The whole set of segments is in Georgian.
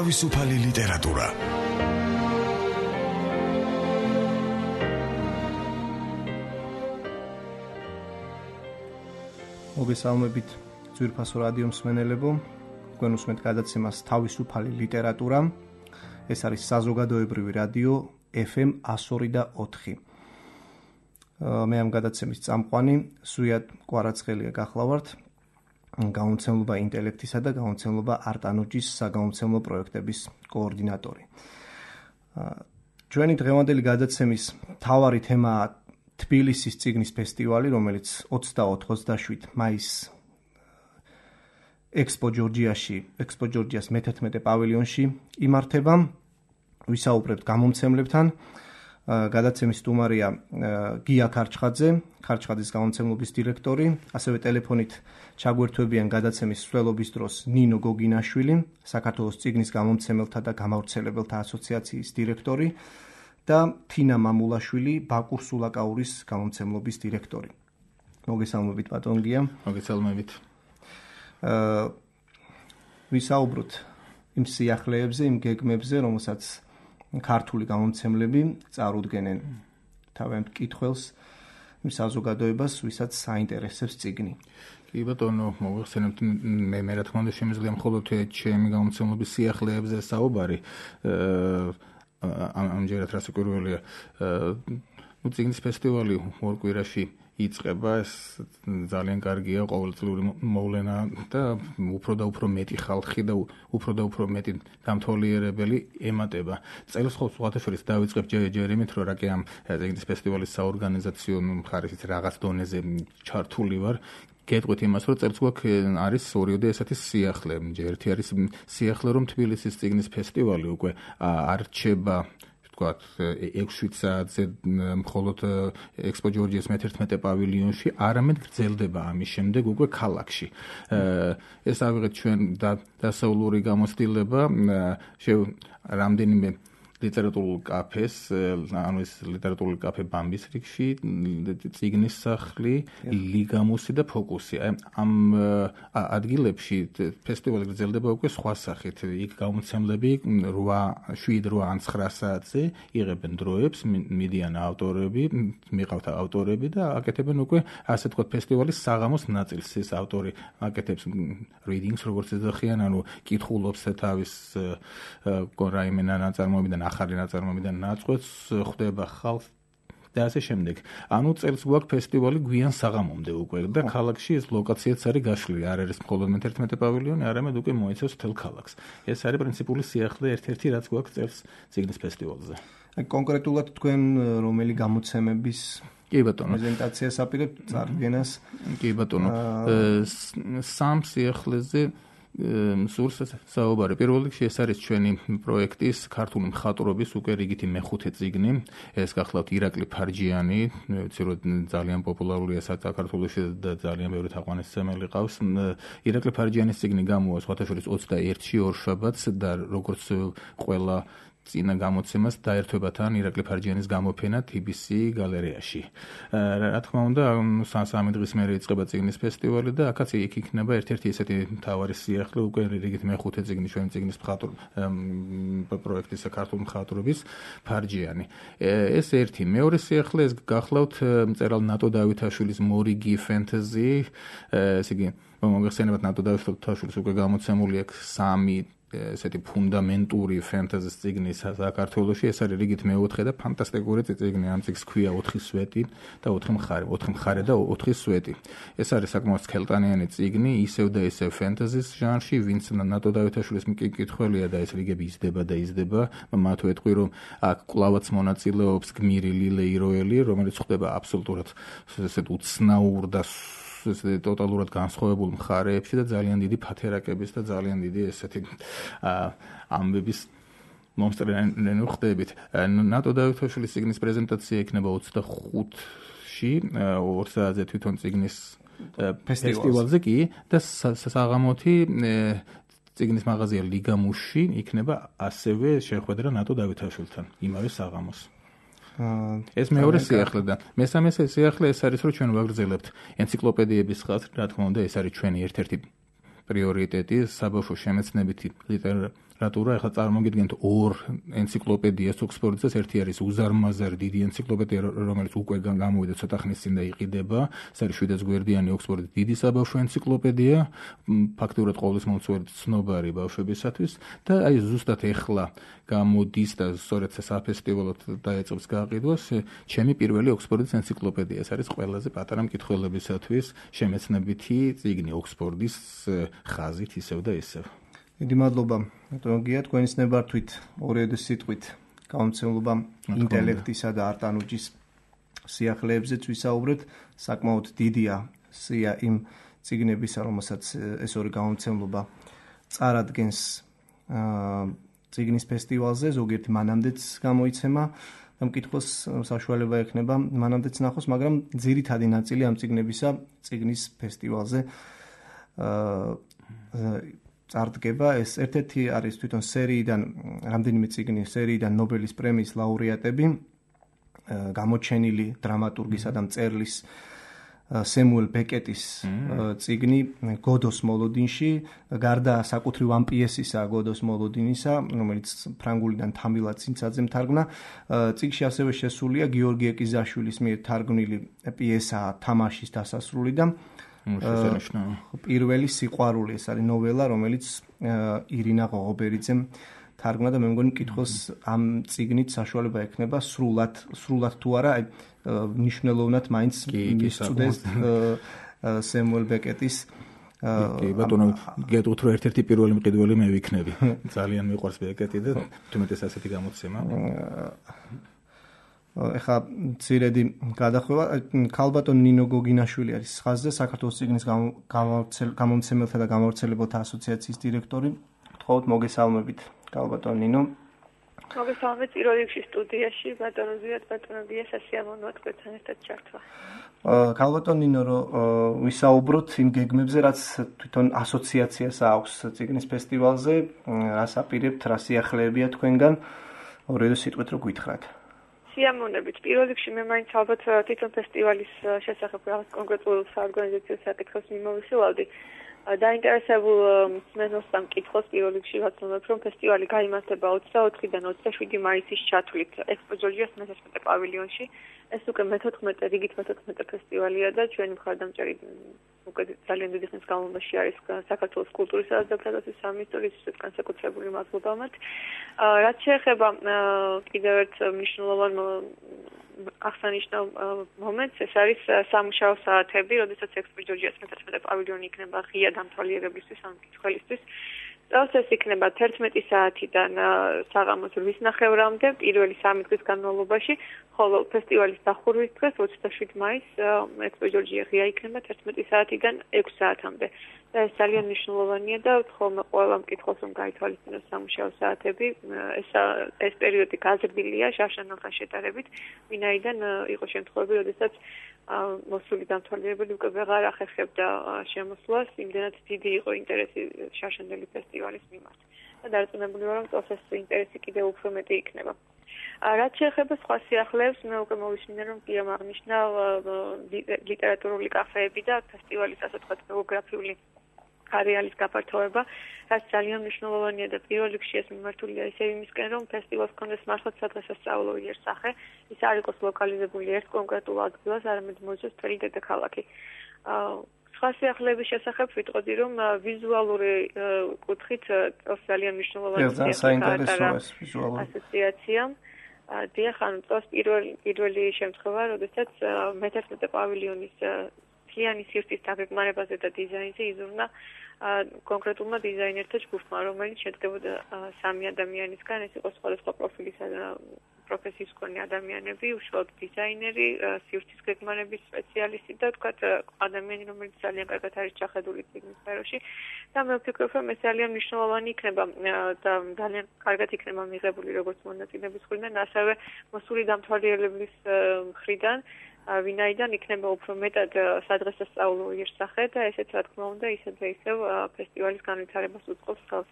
თავისუფალი ლიტერატურა. მოგესალმებით ძვირფასო რადიო მსმენელებო, თქვენ უსმენთ გადაცემას თავისუფალი ლიტერატურა. ეს არის საზოგადოებრივი რადიო FM 102.4. მე ამ გადაცემის წამყვანი სვიად კვარაცხელია გახლავართ, გამომცემლობა ინტელექტისა და გამომცემლობა არტანოჯის საგამომცემლო პროექტების კოორდინატორი. ჩვენი დღევანდელი გადაცემის მთავარი თემაა თბილისის წიგნის ფესტივალი, რომელიც 24-27 მაისს ექსპო ჯორჯიას მე-11 პავილიონში იმართება. ვისაუბრებთ გამომცემლებთან. გადაცემის სტუმარია გია ქარჩხაძის გამომცემლობის დირექტორი, ასევე ტელეფონით ჩაგვერთვებიან გადაცემის მსვლელობის დროს ნინო გოგინაშვილი, საქართველოს წიგნის გამომცემელთა და გამავრცელებელთა ასოციაციის დირექტორი და თინა მამულაშვილი, ბაკურ სულაკაურის გამომცემლობის დირექტორი. მოგესალმებით ბატონ გია. მოგესალმებით. ვისაუბროთ იმ სიახლეებზე, იმ გეგმებზე, რომელსაც ქართული გამომცემლები წარუდგენენ თავიანთ მკითხველს, იმ საზოგადოებას, ვისაც საინტერესებს წიგნი. კი ბატონო, მოგეხსენებთ, მე რა თქმა უნდა შემიძლია მხოლოდ ჩემი გამომცემლობის სიახლეებზე საუბარი. ამჯერად რასაკვირველია, წიგნის ფესტივალი ორ კვირაში იწყება, ეს ძალიან კარგია, ყოველწლიური მოვლენა და უფრო და უფრო მეტი ხალხი და უფრო და უფრო მეტი დამთვალიერებელი ემატება. წელს სხვათა შორის დავიწყებ ჯერ იმით, რომ რა კი ამ წიგნის ფესტივალის საორგანიზაციო მხარეს რაღაც დონეზე ჩართული ვარ. გეტყვით იმას, რომ წელს გვაქვს არის ორიოდე ესეთი სიახლე. ერთი არის სიახლე, რომ თბილისის წიგნის ფესტივალი უკვე არ რჩება 6 საათზე მხოლოდ ექსპო ჯორჯიას მე-11 პავილიონში, არამედ გრძელდება ამის შემდეგ უკვე ქალაქში. ეს ავიღეთ ჩვენ დასავლური გამოცდილება, რამდენიმე ლიტერატურულ კაფეს, ანუ ეს ლიტერატურული კაფე ბამბის რიგში, წიგნის სახლი, ლიგამუსი და ფოკუსი. ამ ადგილებში ფესტივალი გრძელდება უკვე სხვა სახით. იქ გამომცემლები 7-8 ან 9 საათზე იღებენ დროებს, მიდიან ავტორები, მიყავთ ავტორები და აკეთებენ უკვე, ასე ვთქვათ, ფესტივალის საღამოს ნაწილს. ეს ავტორი აკეთებს readings, როგორც ეძახიან, ანუ კითხულობს თავის რაიმე ნაწარმოებიდან, ახალი ნაწარმოებიდან ნაწყვეტს, ხვდება ხალხს და ასე შემდეგ. ანუ წელს გვაქვს ფესტივალი გვიან საღამომდე უკვე და ქალაქში ეს ლოკაციაც არის გაშლილი. არ არის მხოლოდ მე-11 პავილიონი, არამედ უკვე მოიცავს მთელ ქალაქს. ეს არის პრინციპული სიახლე ერთ-ერთი, რაც გვაქვს წელს წიგნის ფესტივალზე. კონკრეტულად თქვენ რომელი გამოცემების კი ბატონო, პრეზენტაციას აპირებთ წარდგენას? კი ბატონო, სამ სიახლეზე სურს საუბარი. პირველ რიგში ეს არის ჩვენი პროექტის ქართული მხატვრობის უკვე რიგითი მე-5 წიგნი. ეს გახლავთ ირაკლი ფარჯიანი, ვიცი რომ ძალიან პოპულარულია საქართველოში და ძალიან ბევრი თაყვანისმცემელი ყავს. ირაკლი ფარჯიანის წიგნი გამოვა სხვათა შორის 21-ში ორშაბათს და როგორც ყველა წინა გამოცემას დაერთვება თან ირაკლი ფარჯიანის გამოფენა TBC გალერეაში. რა თქმა უნდა, სამი დღის მერე იწყება წიგნის ფესტივალი და აქაც იქ იქნება ერთ-ერთი ესეთი მთავარი სიახლე, უკვე რიგით მე-5 წიგნი ჩვენი წიგნის პროექტის ქართული მხატვრობის ფარჯიანი. ეს ერთი. მეორე სიახლე ეს გახლავთ მწერალ ნატო დავითაშვილის მორიგი ფენტეზი. ესე იგი, მოგეხსენებათ, ნატო დავითაშვილის უკვე გამოცემული აქვს 3 ესეთი ფუნდამენტური ფენტეზის წიგნი საქართველოში. ეს არის რიგით მე-4 და ფანტასტიკური წიგნი. ამ წიგნს ქვია 4 სვეტი და 4 მხარე და 4 სვეტი. ეს არის საკმაოდ სქელტანიანი წიგნი, ისევ და ისევ ფენტეზის ჟანრში, ვინც ნატო დავითაშვილის მკითხველია და ეს რიგები იზრდება. მათ ვეტყვი, რომ აქ კლავაც მონაწილეობს გმირი ლილე იროელი, რომელიც ხდება აბსოლუტურად ესეთ უცნაურ და ტოტალურად განსხვავებულ მხარეებში და ძალიან დიდი ფათერაკების და ძალიან დიდი ესეთი ამბების მომსწრენი ხდებით. ნატო დავითაშვილის წიგნის პრეზენტაცია იქნება 25-ში, 2 საათზე თვითონ წიგნის ფესტივალზე კი და საღამოთი წიგნის მაღაზია ლიგამუსში იქნება ასევე შეხვედრა ნატო დავითაშვილთან იმავე საღამოს. ეს მეორე სიახლე და მესამე სიახლე ეს არის, რომ ჩვენ ვაგრძელებთ ენციკლოპედიების ხაზს, რა თქმა უნდა, ეს არის ჩვენი ერთ-ერთი პრიორიტეტი საბავშვო შემეცნებითი ლიტერატურა, ახლა წარმოგიდგენთ ორ ენციკლოპედიას ოქსფორდსაც, ერთი არის უზარმაზარი დიდი ენციკლოპედია, რომელიც უკვე გამოვიდა ცოტა ხნის წინ და იყიდება, ეს არის 700 გვერდიანი ოქსფორდის დიდი საბავშვო ენციკლოპედია, ფაქტურად ყოვლის მომწვევი ცნობარი ბავშვებისათვის და აი ზუსტად ეხლა გამოდის და სწორედ საფესტივალოდ დაეწყებს გაყიდვას ჩემი პირველი ოქსფორდის ენციკლოპედია. ეს არის ყველაზე პატარა მკითხველებისათვის შემეცნებითი წიგნი ოქსფორდის ხაზით ისევ და ისევ. დიდი მადლობა, ბატონო გია, თქვენის ნებართვით 2 სიტყვით გამომცემლობა ინტელექტისა და არტანუჯის სიახლეებზეც ვისაუბრეთ. საკმაოდ დიდია სია იმ წიგნებისა, რომელსაც ეს ორი გამომცემლობა წარადგენს წიგნის ფესტივალზე, ზოგიერთი მანამდეც გამოიცემა და მკითხველს საშუალება ექნება მანამდეც ნახოს, მაგრამ ძირითადი ნაწილი ამ წიგნებისა წიგნის ფესტივალზე წარდგება. ეს ერთ-ერთი არის თვითონ სერიიდან, რამდენიმე წიგნის სერიიდან ნობელის პრემიის ლაურეატები, გამოჩენილი დრამატურგისა და მწერლის სემუელ ბეკეტის წიგნი გოდოს მოლოდინში, გარდა საკუთრივ ამ პიესისა გოდოს მოლოდინისა, რომელიც ფრანგულიდან თამილად ცინცაძემ თარგმნა, წიგნში ასევე შესულია გიორგი ეკიზაშვილის მიერ თარგმნილი პიესა თამაშის დასასრული და პირველი სიყვარული, ეს არის ნოველა, რომელიც ირინა ღოღობერიძემ თარგმნა და მე მგონი მკითხველს ამ წიგნით საშუალება ექნება სრულად თუ არა, მნიშვნელოვნად მაინც მისწვდეს სემუელ ბეკეტის. კი, ბატონო, გეტყვით რომ ერთ-ერთი პირველი მყიდველი მე ვიქნები. ძალიან მიყვარს ბეკეტი და თუმეტეს ასეთი გამოცემა. ეხა ძირედი გადახვევა, ქალბატონ ნინო გოგინაშვილი არის ხაზზე, საქართველოს წიგნის გამომცემელთა და გამავრცელებელთა ასოციაციის დირექტორი. გთხოვთ მოგესალმებით, ქალბატონ ნინო. მოგესალმებით პირველ რიგში სტუდიაში, ბატონო ზიად, ბატონო გია, სასიამოვნოა თქვენთან ერთად ჩართვა. ქალბატონ ნინო, რომ ვისაუბროთ იმ გეგმებზე, რაც თვითონ ასოციაციას აქვს წიგნის ფესტივალზე, რას აპირებთ, რა სიახლეებია თქვენგან, 2 სიტყვით რო გითხრათ. სიამოვნებით. პირველ რიგში მე მაინც ალბათ თვითონ ფესტივალის შესახებ რაღაც კონკრეტულ საორგანიზაციო საკითხებს მიმოვიხილავდი. დაინტერესებულ მსმენელს და მკითხველს პირველ რიგში ვაცნობებ, რომ ფესტივალი გაიმართება 24-დან 27 მაისის ჩათვლით ექსპო ჯორჯიას მე-11 პავილიონში. ეს უკვე მე-14 რიგით მე-14 ფესტივალია და ჩვენი მხარდამჭერი უკვე ძალიან დიდი ხნის განმავლობაში არის საქართველოს კულტურისა და დეკლარაციის სამინისტრო, ისიც განსაკუთრებული მადლობა მათ. რაც შეეხება კიდევ ერთ მნიშვნელოვან აღსანიშნავ მომენტს, ეს არის სამუშაო საათები, როდესაც ექსპო ჯორჯიას მე-11 პავილიონი იქნება ღია დამთვალიერებლისთვის, ან მკითხველისთვის. წელს ეს იქნება 11 საათიდან საღამოს 8:30-მდე პირველი 3 დღის განმავლობაში, ხოლო ფესტივალის დახურვის დღეს 27 მაისს ექსპო ჯორჯია ღია იქნება 11 საათიდან 6 საათამდე. და ეს ძალიან მნიშვნელოვანია და ხოლმე ყველა მკითხველს რომ გაითვალისწინოს სამუშაო საათები, ეს პერიოდი გაზრდილია შარშანელთან შედარებით, ვინაიდან იყო შემთხვევები, როდესაც მოსული დამთვალიერებელი უკვე ვეღარ ახერხებდა შემოსვლას, იმდენად დიდი იყო ინტერესი შარშანელი ფესტივალის მიმართ. და დარწმუნებული ვარ, რომ წელს ეს ინტერესი კიდევ უფრო მეტი იქნება. რაც შეეხება სხვა სიახლეებს, მე უკვე მოვისმინე, რომ გიამ აღნიშნა ლიტერატურული კაფეები და ფესტივალის ასე ვთქვათ გეოგრაფიული არეალის გაფართოება, რაც ძალიან მნიშვნელოვანია და პირველ რიგში ეს მიმართულია ისევ იმისკენ, რომ ფესტივალს ჰქონდეს მართლაც სადღესასწაულო იერსახე, ის არ იყოს ლოკალიზებული ერთ კონკრეტულ ადგილას, არამედ მოიცავს მთელი დედაქალაქი. სხვა სიახლეების შესახებ ვიტყოდი, რომ ვიზუალური კუთხით ძალიან მნიშვნელოვანი ასოციაცია. დიახ, ანუ წელს პირველი შემთხვევა, როდესაც მე-11 პავილიონის მთლიანი სივრცის დაგეგმარებაზე და დიზაინზე იზრუნა კონკრეტულმა დიზაინერთა ჯგუფმა, რომელიც შედგებოდა 3 ადამიანისგან, ეს იყო სხვადასხვა პროფილისა და პროფესიის მქონე ადამიანები, უშუალოდ დიზაინერი, სივრცის გეგმარების სპეციალისტი და თქვათ ადამიანი, რომელიც ძალიან კარგად არის ჩახედული წიგნის სფეროში და მე ვფიქრობ, რომ ეს ძალიან მნიშვნელოვანი იქნება და ძალიან კარგად იქნება მიღებული როგორც მონაწილეების მხრიდან, ასევე მოსული დამთვალიერებლის მხრიდან, ვინაიდან იქნება უფრო მეტად სადღესასწაულო იერსახე და ესეც რა თქმა უნდა ისევ ფესტივალის განვითარებას უწყობს ხელს.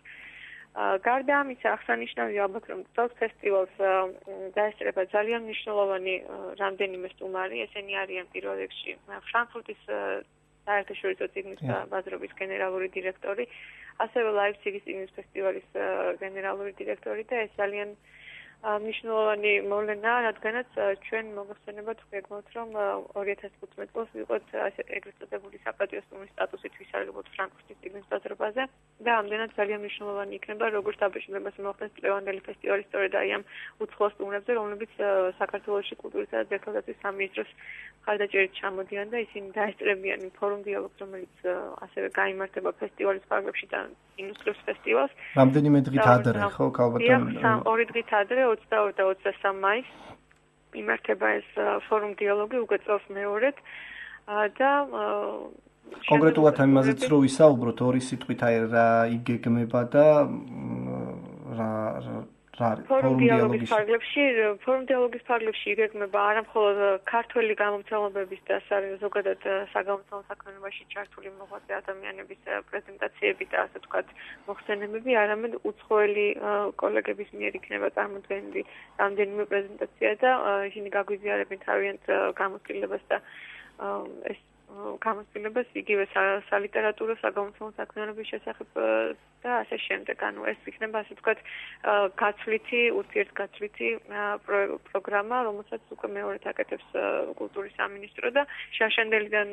გარდა ამისა, აღსანიშნავია ალბათ, რომ წელს ფესტივალს დაესწრება ძალიან მნიშვნელოვანი რამდენიმე სტუმარი, ესენი არიან პირველ რიგში ფრანკფურტის საერთაშორისო წიგნის ბაზრობის გენერალური დირექტორი ასევე ლაიფციგის წიგნის ფესტივალის გენერალური დირექტორი და ეს ძალიან მნიშვნელოვანი მოვლენაა, რადგანაც ჩვენ მოგხსენებათ ვგეგმავთ, რომ 2015 წელს ვიყოთ ეგრეთ წოდებული საპატიო სტუმრის სტატუსით ვისარგებლოთ ფრანკფურტის წიგნის ბაზრობაზე და ამდენად ძალიან მნიშვნელოვანი იქნება, როგორც დაბეჭდებას მოხდეს წლევანდელი ფესტივალი სწორედ აი ამ უცხო სტუმრებზე, რომლებიც საქართველოში კულტურისა და ძეგლთაგაცის სამინისტროს მხარდაჭერით ჩამოდიან და ისინი დაესწრებიან იმ ფორუმ დიალოგს, რომელიც ასევე გაიმართება ფესტივალის ფარგლებში და ინუსტრიოს ფესტივალს. რამდენიმე დღით ადრე, ხო, ალბათ 2 დღით ადრე 22 და 23 მაისს იმართება ეს ფორუმ დიალოგი უკვე წელს მეორედ და კონკრეტულად ამაზეც რო ვისაუბროთ ორი სიტყვით აი რა იგეგმება და რა ფორუმ დიალოგის ფარგლებში იგეგმება არა მხოლოდ ქართველი გამომცემლობების და ზოგადად საგამომცემლო საქმიანობაში ჩართული მოღვაწე ადამიანების პრეზენტაციები და ასე ვთქვათ მოხსენებები, არამედ უცხოელი კოლეგების მიერ იქნება წარმოდგენილი რამდენიმე პრეზენტაცია და ისინი გაგვიზიარებენ თავიანთ გამოცდილებას და ეს გამოცდილებას იგივე სალიტერატურო საგამომცემლო საქმიანობის შესახებ და ასე შემდეგ. ანუ ეს იქნება ასე ვთქვათ გაცვლითი, ურთიერთგაცვლითი პროგრამა, რომელსაც უკვე მეორედ აკეთებს კულტურის სამინისტრო და შარშანდელიდან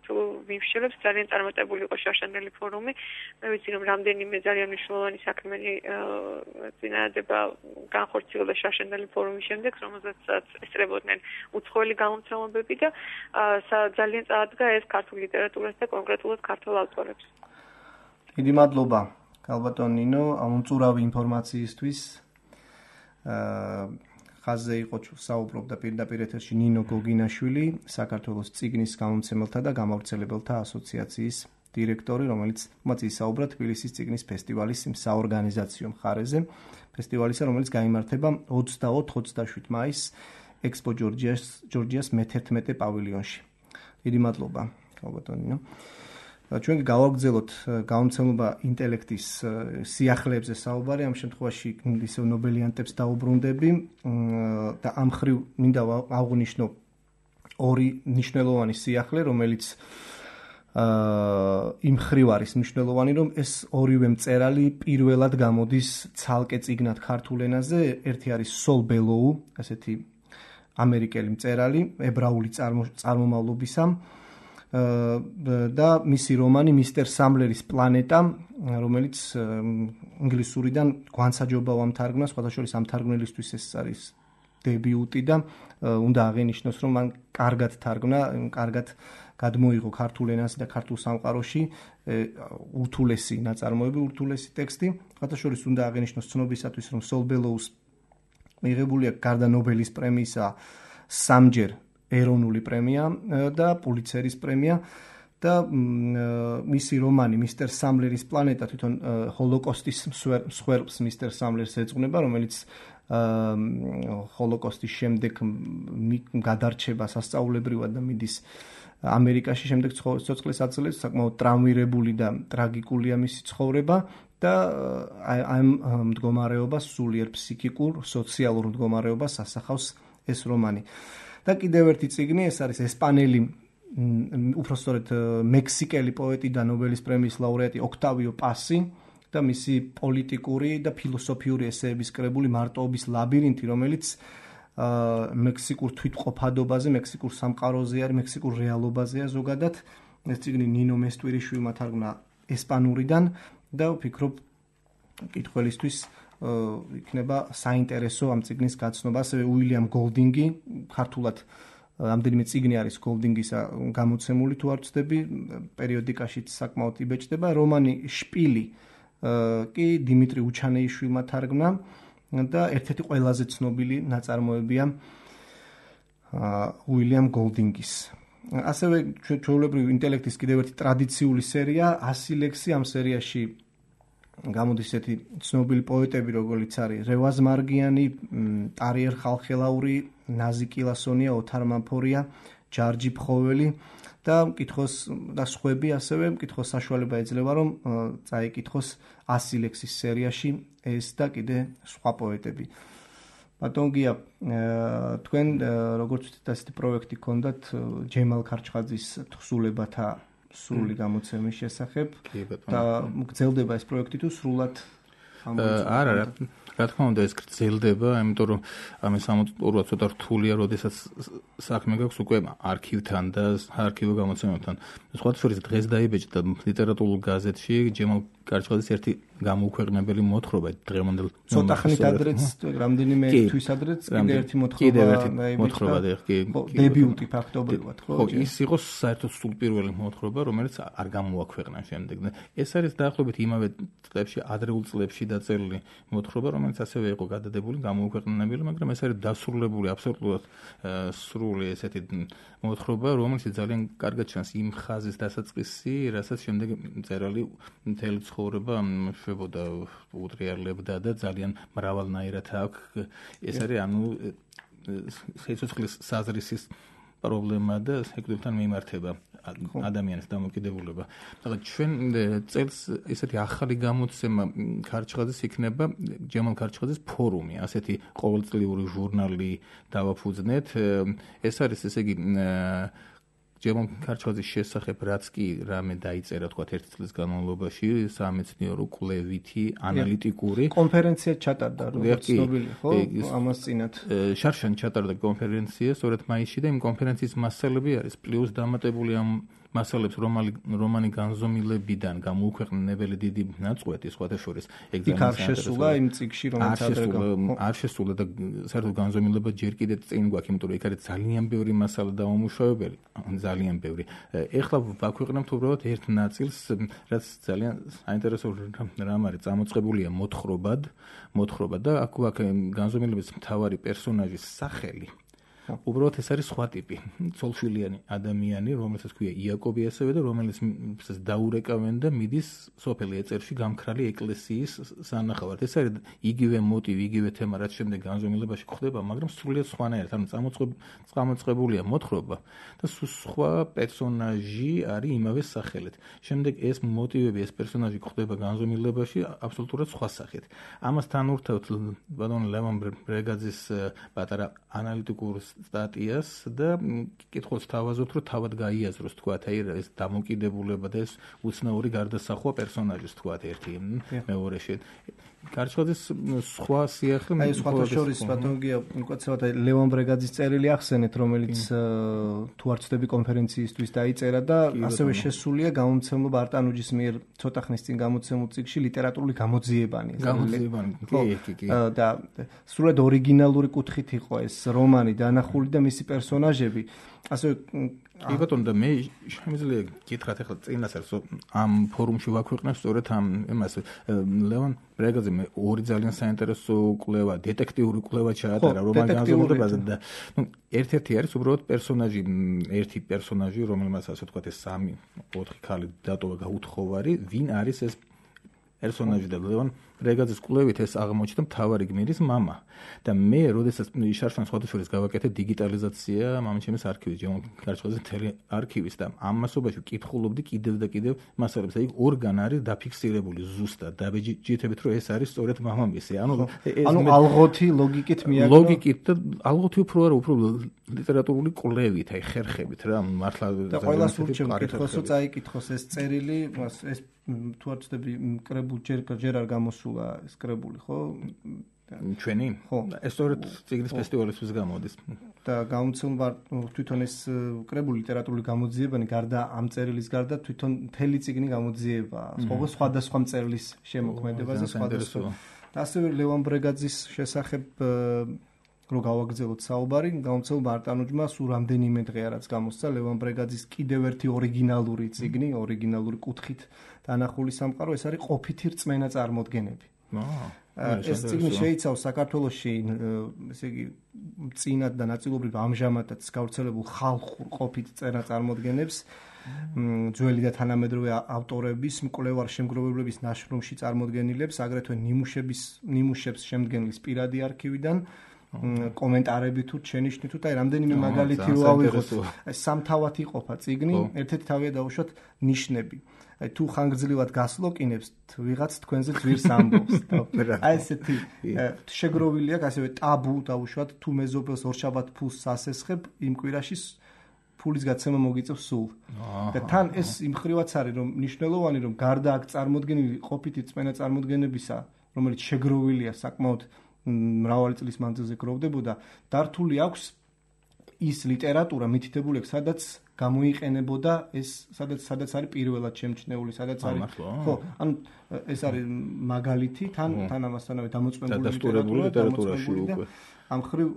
თუ ვიმსჯელებს ძალიან წარმატებული იყო შარშანდელი ფორუმი. მე ვიცი რომ რამდენიმე ძალიან მნიშვნელოვანი საქმენი წინადადება განხორციელდა შარშანდელი ფორუმის შემდეგ, რომელსაც ესწრებოდნენ უცხოელი გამომცემლობები და ძალიან წაადგა ეს ქართულ ლიტერატურას და კონკრეტულად ქართულ ავტორებს. დიდი მადლობა, ქალბატონ ნინო, ამომწურავი ინფორმაციისთვის. ხაზზე იყო საუბრობდა პირდაპირ ეთერში ნინო გოგინაშვილი, საქართველოს წიგნის გამომცემელთა და გამავრცელებელთა ასოციაციის დირექტორი, რომელიც ისაუბრა თბილისის წიგნის ფესტივალის საორგანიზაციო მხარეზე, ფესტივალისა, რომელიც გაიმართება 24-27 მაისს ექსპო ჯორჯიას მე-11 პავილიონში. დიდი მადლობა, ქალბატონ ნინო. ჩვენ გავაგრძელოთ გამომცემლობა ინტელექტის სიახლეებზე საუბარი, ამ შემთხვევაში ისევ ნობელიანტებს დაუბრუნდები და ამ ხრივ მინდა აღვნიშნო ორი მნიშვნელოვანი სიახლე, რომელიც იმ ხრივ არის მნიშვნელოვანი, რომ ეს ორივე მწერალი პირველად გამოდის ცალკე წიგნად ქართულ ენაზე. ერთი არის სოლ ბელოუ, ასეთი ამერიკელი მწერალი, ებრაული წარმომავლობისა და მისი რომანი მისტერ სამლერის პლანეტა, რომელიც ინგლისურიდან გვანსაჯობა ვამთარგმნა, სხვათა შორის ამ თარგმნელისთვის ეს არის დებიუტი და უნდა აღინიშნოს, რომ მან კარგად თარგმნა, კარგად გადმოიღო ქართულ ენაზე და ქართულ სამყაროში ურთულესი ნაწარმოები, ურთულესი ტექსტი. სხვათა შორის უნდა აღინიშნოს ცნობისათვის, რომ სოლ ბელოუს მიღებული აქვს გარდა ნობელის პრემიისა სამჯერ ეროვნული პრემია და პულიცერის პრემია და მისი რომანი მისტერ სამლერის პლანეტა თვითონ ჰოლოკოსტის მსხვერპლს მისტერ სამლერს ეძღვნება, რომელიც ჰოლოკოსტის შემდეგ გადარჩება სასწაულებრივად და მიდის ამერიკაში, შემდეგ სიცოცხლეს აძლევს, საკმაოდ ტრამვირებული და ტრაგიკულია მისი ცხოვრება და ამ მდგომარეობას სულიერ ფსიქიკურ, სოციალურ მდგომარეობას ასახავს ეს რომანი. და კიდევ ერთი წიგნი, ეს არის ესპანელი, უпростоრედ მექსიკელი პოეტი და ნობელის პრემიის ლაურეატი ოქტავიო პასი და მისი პოლიტიკური და ფილოსოფიური ესეების კრებული მარტოობის ლაბირინთი, რომელიც მექსიკურ თვითყოფადობაზე, მექსიკურ სამყაროზე არის, მექსიკურ რეალობაზეა ზოგადად. ეს წიგნი ნინო მესტვირიშვილმა თარგმნა ესპანურიდან და ვფიქრობ კითხველისთვის იქნება საინტერესო ამ წიგნის გაცნობა. ასევე უილიამ გოლდინგი, ქართულად რამდენიმე წიგნი არის გოლდინგისა გამოცემული, თუ არ ვცდები, პერიოდიკაშიც საკმაოდ იბეჭდება. რომანი შპილი კი დიმიტრი უჩანეიშვილმა თარგმნა და ერთ-ერთი ყველაზე ცნობილი ნაწარმოებია უილიამ გოლდინგის. ასევე ჩვეულებრივი ინტელექტის კიდევ ერთი ტრადიციული სერია 100 ლექსი. ამ სერიაში გამოდის ესეთი ცნობილი პოეტები, როგორც არის რევაზ მარგიანი, ტარიერ ხალხელაური, ნაზი კილასონია, ოთარ მამფორია, ჯარჯი ფხოველი და მკითხოს და სხვები, ასევე მკითხოს საშუალება ეძლევა, რომ წაიკითხოს 100 ლექსის სერიაში ეს და კიდე სხვა პოეტები. ბატონ გია, თქვენ როგორც ვთქვით, ასეთი პროექტი გქონდათ ჯემალ ქარჩხაძის თხზულებათა სრული გამოცემის შესახებ და გრძელდება ეს პროექტი თუ სრულად არა რა თქმა უნდა ეს გრძელდება, იმიტომ რომ ამის სამწუხაროა ცოტა რთულია, როდესაც საქმე გაქვს უკვე არქივთან და არქივო გამოცემებთან. სხვათა შორის დღეს დაიბეჭდა ლიტერატურულ გაზეთში ჯემალ კარჩხაძის ერთი გამოუქვეყნებელი მოთხრობა დღევანდელ ცოტა ხნით ადრეც რამდენიმე თვის ადრეც კიდე ერთი მოთხრობა დებიუტი ფაქტობრივად ხო ის იყო საერთოდ სულ პირველი მოთხრობა რომელიც არ გამოაქვეყნა შემდეგ და ეს არის დაახლოებით იმავე წლებში ადრეულ წლებში დაწერილი მოთხრობა რომელიც ასევე იყო გადადებული გამოუქვეყნებელი მაგრამ ეს არის დასრულებული აბსოლუტურად სრული ესეთი მოთხრობა რომელიც ძალიან კარგად ჩანს იმ ხაზის დასაწყისი რასაც შემდეგ მწერალი მთელი ცხოვრება შვებოდა უტრიალებდა და ძალიან მრავალნაირად აქვს ეს არის ანუ სიცოცხლის საზრისის პრობლემა და სეკვდილთან მიმართება ადამიანის დამოკიდებულება. მაგრამ ჩვენ წელს ესეთი ახალი გამოცემა ქარჩხაძის იქნება ჯემალ ქარჩხაძის ფორუმი, ასეთი ყოველწლიური ჟურნალი დავაფუძნეთ. ეს არის ესე იგი ჯემალ ქარჩხაძის შესახებ რაც კი რამე დაიწერა თქვა ერთი წლის განმავლობაში სამეცნიერო კვლევითი ანალიტიკური კონფერენცია ჩატარდა როგორც ცნობილი ხო ამას წინათ შარშან ჩატარდა კონფერენცია სწორედ მაისში და იმ კონფერენციის მასალები არის პლუს დამატებული ამ მასალებს რომანი განზომილებიდან გამოუქვეყნებელი დიდი ნაწყვეტი სხვათა შორის ეგ არ შესულა იმ წიგში რომელიც არ შესულა და საერთოდ განზომილება ჯერ კიდევ წინ გვაქვს იმიტომ რომ იქ არის ძალიან ბევრი მასალა დამომუშავებელი ძალიან ბევრი ეხლა ვაქვეყნებთ უბრალოდ ერთ ნაწილს რაც ძალიან საინტერესო რამ არის წამოწყებულია მოთხრობა და აქ განზომილების მთავარი პერსონაჟის სახელი უბრალოდ ეს არის სხვა ტიპი ცოლშვილიანი ადამიანი რომელსაც ქვია იაკობი ასევე და რომელიც დაურეკავენ და მიდის სოფელი ეწერში გამქრალი ეკლესიის სანახავად ეს არის იგივე მოტივი იგივე თემა რაც შემდეგ განზომილებაში გვხდება მაგრამ სრულიად სხვანაირად ანუ წამოწყებულია მოთხრობა და სხვა პერსონაჟი არის იმავე სახელით შემდეგ ეს მოტივები ეს პერსონაჟი გვხდება განზომილებაში აბსოლუტურად სხვა სახით ამასთან ურთავთ ბატონ ლევან ბრეგაძის პატარა ანალიტიკურ სტატიას და კითხავს თავაზობთ რომ თავად გაიაზროს თქვა აი ეს დამოკიდებულება და ეს უცნაური გარდასახვა პერსონაჟის თქვა ერთი მეორეში ქარჩხაძის სხვა სიახლე აი სხვათა შორის ბატონგია უკაცრავად ლევან ბრეგაძის წერილი ახსენეთ რომელიც თუ არ ვცდები კონფერენციისთვის დაიწერა და ასევე შესულია გამომცემლობა არტანუჯის მიერ ცოტა ხნის წინ გამოცემულ წიგნში ლიტერატურული გამოძიებანი კი და სრულად ორიგინალური კუთხით იყო ეს რომანი დანახული და მისი პერსონაჟები ასევე კი ბატონო და მე შემიძლია გითხრათ ახლა წინასწარ ამ ფორუმში ვაქვეყნებ სწორედ ამ იმას ლევან ბრეგაძე მე ორი ძალიან საინტერესო კვლევა დეტექტიური კვლევა ჩაატარა რომან განზომილებაზე და ერთ-ერთი არის უბრალოდ პერსონაჟი ერთი პერსონაჟი რომელმაც ასე ვთქვათ ეს 3-4 ქალი დატოვა გაუთხოვარი ვინ არის ეს პერსონაჟი და ლევან ბრეგაძის კვლევით ეს აღმოჩნდა მთავარი გმირის მამა და მე როდესაც შარშან სხვათა შორის გავაკეთე დიგიტალიზაცია მამაჩემის არქივის ჯემალ ქარჩხაძის მთელი არქივის და ამ მასობაში ვკითხულობდი კიდევ და კიდევ მასალებს და იქ ორგან არის დაფიქსირებული ზუსტად დაბეჭდებით რომ ეს არის სწორედ მამამისი ანუ ალღოთი ლოგიკით მიაგნო ლოგიკით და ალღოთი უფრო არა უფრო ლიტერატურული კვლევით აი ხერხებით რა მართლა და ყველას ურჩევ კითხოს რომ წაიკითხოს ეს წერილი ეს თუ არ ვცდები კრებული ჯერ არ გამოსულა ეს კრებული ხო ჩვენი ხო ეს სწორედ წიგნის ფესტივალისთვის გამოდის და გამოცემდა თვითონ ეს კრებული ლიტერატურული გამოძიებანი გარდა ამ წერილის გარდა თვითონ მთელი წიგნი გამოძიება სხვადასხვა მწერლის შემოქმედებაზე სხვადასხვა და ასევე ლევან ბრეგაძის შესახებ რო გავაგრძელოთ საუბარი გამოცემდა არტანუჯმა სულ რამდენიმე დღეა რაც გამოსცა ლევან ბრეგაძის კიდევ ერთი ორიგინალური წიგნი ორიგინალური კუთხით დანახული სამყარო ეს არის ყოფითი რწმენა წარმოდგენები ეს წიგნი შეიცავს საქართველოში ესე იგი წინათ და ნაწილობრივ ამჟამადაც გავრცელებულ ხალხურ ყოფით წერა წარმოდგენებს ძველი და თანამედროვე ავტორების მკვლევარ შემგროვებლების ნაშრომში წარმოდგენილებს აგრეთვე ნიმუშებს შემდგენლის პირადი არქივიდან კომენტარები თუ შენიშნი თუ და რამდენიმე მაგალითი რო ავიღოთ აი სამთავად იყოფა წიგნი ერთ-ერთი თავია დაუშვათ ნიშნები აი თუ ხანგრძლივად გასლოკინებს ვიღაც თქვენზე ძვირს ამბობს აი ესეთი შეგროვილი აქვს ასევე ტაბუ დაუშვათ თუ მეზობელს ორშაბათ ფულს ასესხებ იმ კვირაში ფულის გაცემა მოგიწევს სულ. და თან ეს იმხრივაც არის რომ მნიშვნელოვანი რომ გარდა აქ წარმოდგენილი ყოფითი წმენა წარმოდგენებისა, რომელიც შეგროვილია საკმაოდ მრავალი წლის მანძილზე გროვდებოდა, დართული აქვს ის ლიტერატურა მითითებული აქვს, სადაც გამოიყენებოდა ეს, სადაც არის პირველად შემჩნეული, სადაც არის. ხო, ანუ ეს არის მაგალითი, თან ამასთანავე დამოწმებული ლიტერატურაში უკვე. ამ ხრივ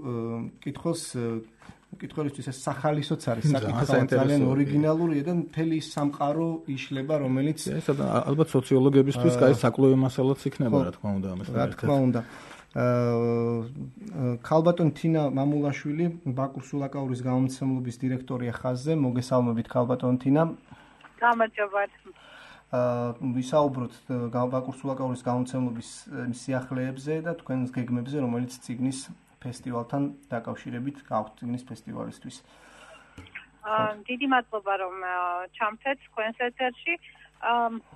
კითხველისთვის ეს სახალისოც არის საკითხი ძალიან ორიგინალურია და მთელი სამყარო იშლება, რომელიც ეს ალბათ სოციოლოგებისთვის კაი საკვლევი მასალაც იქნება, რა თქმა უნდა, ამას. რა თქმა უნდა. ქალბატონი თინა მამულაშვილი, ბაკურ სულაკაურის გამომცემლობის დირექტორია ხაზზე. მოგესალმებით ქალბატონი თინა. გამარჯობათ. ვისაუბროთ ბაკურ სულაკაურის გამომცემლობის სიახლეებზე და თქვენს გეგმებზე, რომელიც წიგნის ფესტივალთან დაკავშირებით გაქვთ წიგნის ფესტივალისთვის. დიდი მადლობა რომ ჩამწეთ თქვენს ეთერში.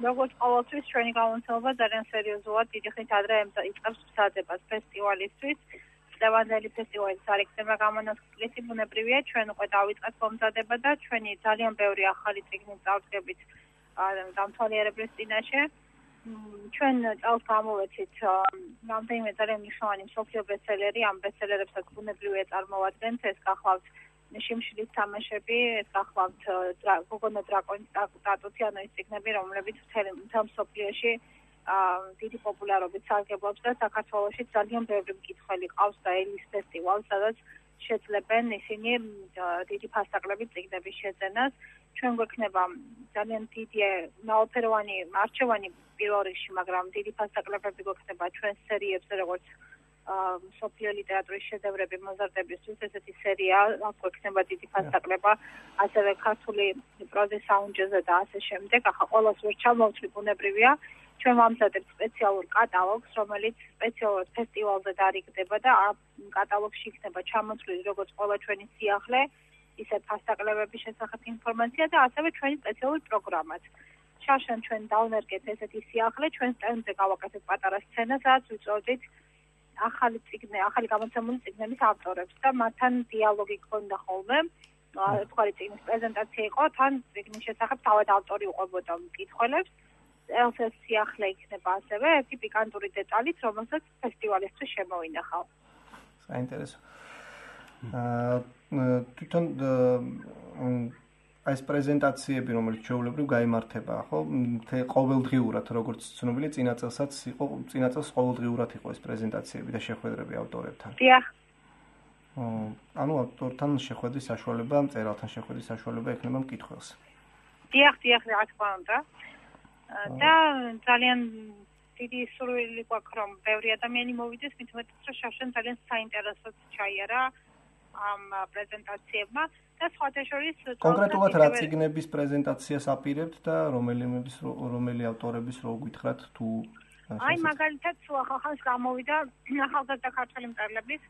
როგორც ყოველთვის ჩვენი გამომცემლობა ძალიან სერიოზულად დიდი ხნით ადრე იწყებს მზადებას ფესტივალისთვის. წლევანდელი ფესტივალის არ იქნება გამონაკლისი, ბუნებრივია, ჩვენ უკვე დავიწყეთ მომზადება და ჩვენი ძალიან ბევრი ახალი წიგნი წავდგებით დამთვალიერებლის წინაშე. ჩვენ წელს გამოვეცით რამდენიმე ძალიან მნიშვნელოვანი მსოფლიო ბესტსელერი, ამ ბესტსელერებსაც ბუნებრივია წარმოვადგენთ, ეს გახლავთ შიმშილის თამაშები, ეს გახლავთ გოგონა დრაკონის სტატუსი, ანუ ის წიგნები, რომლებიც მთელ მსოფლიოში დიდი პოპულარობით სარგებლობს და საქართველოში ძალიან ბევრი მკითხველი ყავს და ელის ფესტივალს, სადაც შეძლებენ ისინი დიდი ფასტაკლებით წიგნების შეძენას. ჩვენ გვექნება ძალიან დიდი ნაოფეროვანი არჩევანი პირველ რიგში, მაგრამ დიდი ფასტაკლებები გვექნება ჩვენ სერიებზე, როგორც მსოფლიო ლიტერატურის შედევრები მოზარდებისთვის, ესეთი სერია, აქ გვექნება დიდი ფასტაკლება, ასევე ქართული პროზის საუნჯეზე და ასე შემდეგ. ახლა ყველას ვერ ჩამოვთვლი, ბუნებრივია. ჩვენ ვამზადებთ სპეციალურ კატალოგს, რომელიც სპეციალურად ფესტივალზე დარიგდება და ამ კატალოგში იქნება ჩამოთვლილი როგორც ყველა ჩვენი სიახლე, ისე ფასტაკლებების შესახებ ინფორმაცია და ასევე ჩვენი სპეციალური პროგრამაც. შარშან ჩვენ დავნერგეთ ესეთი სიახლე, ჩვენ სტენდზე გავაკეთეთ პატარა სცენა, სადაც ვიწოდით ახალი გამოცემული წიგნების ავტორებს და მათთან დიალოგი გქონდა ხოლმე. ერთგვარი წიგნის პრეზენტაცია იყო, თან წიგნის შესახებ თავად ავტორი უყვებოდა მკითხველებს. ეს სიახლე იქნება ასევე ერთი პიკანტური დეტალით, რომელსაც ფესტივალისთვის შემოვინახავ. საინტერესო. თვითონ ეს პრეზენტაციები, რომელიც ჩვეულებრივ გაიმართება, ხო? ყოველდღიურად, როგორც ცნობილია, წინა წელს ყოველდღიურად იყო ეს პრეზენტაციები და შეხვედრები ავტორებთან. დიახ. ანუ ავტორთან შეხვედრის საშუალება, მწერალთან შეხვედრის საშუალება ექნება მკითხველს. დიახ, რა თქმა უნდა. და ძალიან დიდი სურვილი გვაქვს, რომ ბევრი ადამიანი მოვიდეს, მით უმეტეს, რომ შარშან ძალიან საინტერესოდ ჩაიარა ამ პრეზენტაციებმა და სხვათა შორის კონკრეტულად რა წიგნების პრეზენტაციას აპირებთ და რომელი ავტორების რო გითხრათ თუ აი მაგალითად ახალს გამოვიდა ახალგაზრდა ქართველი მწერლების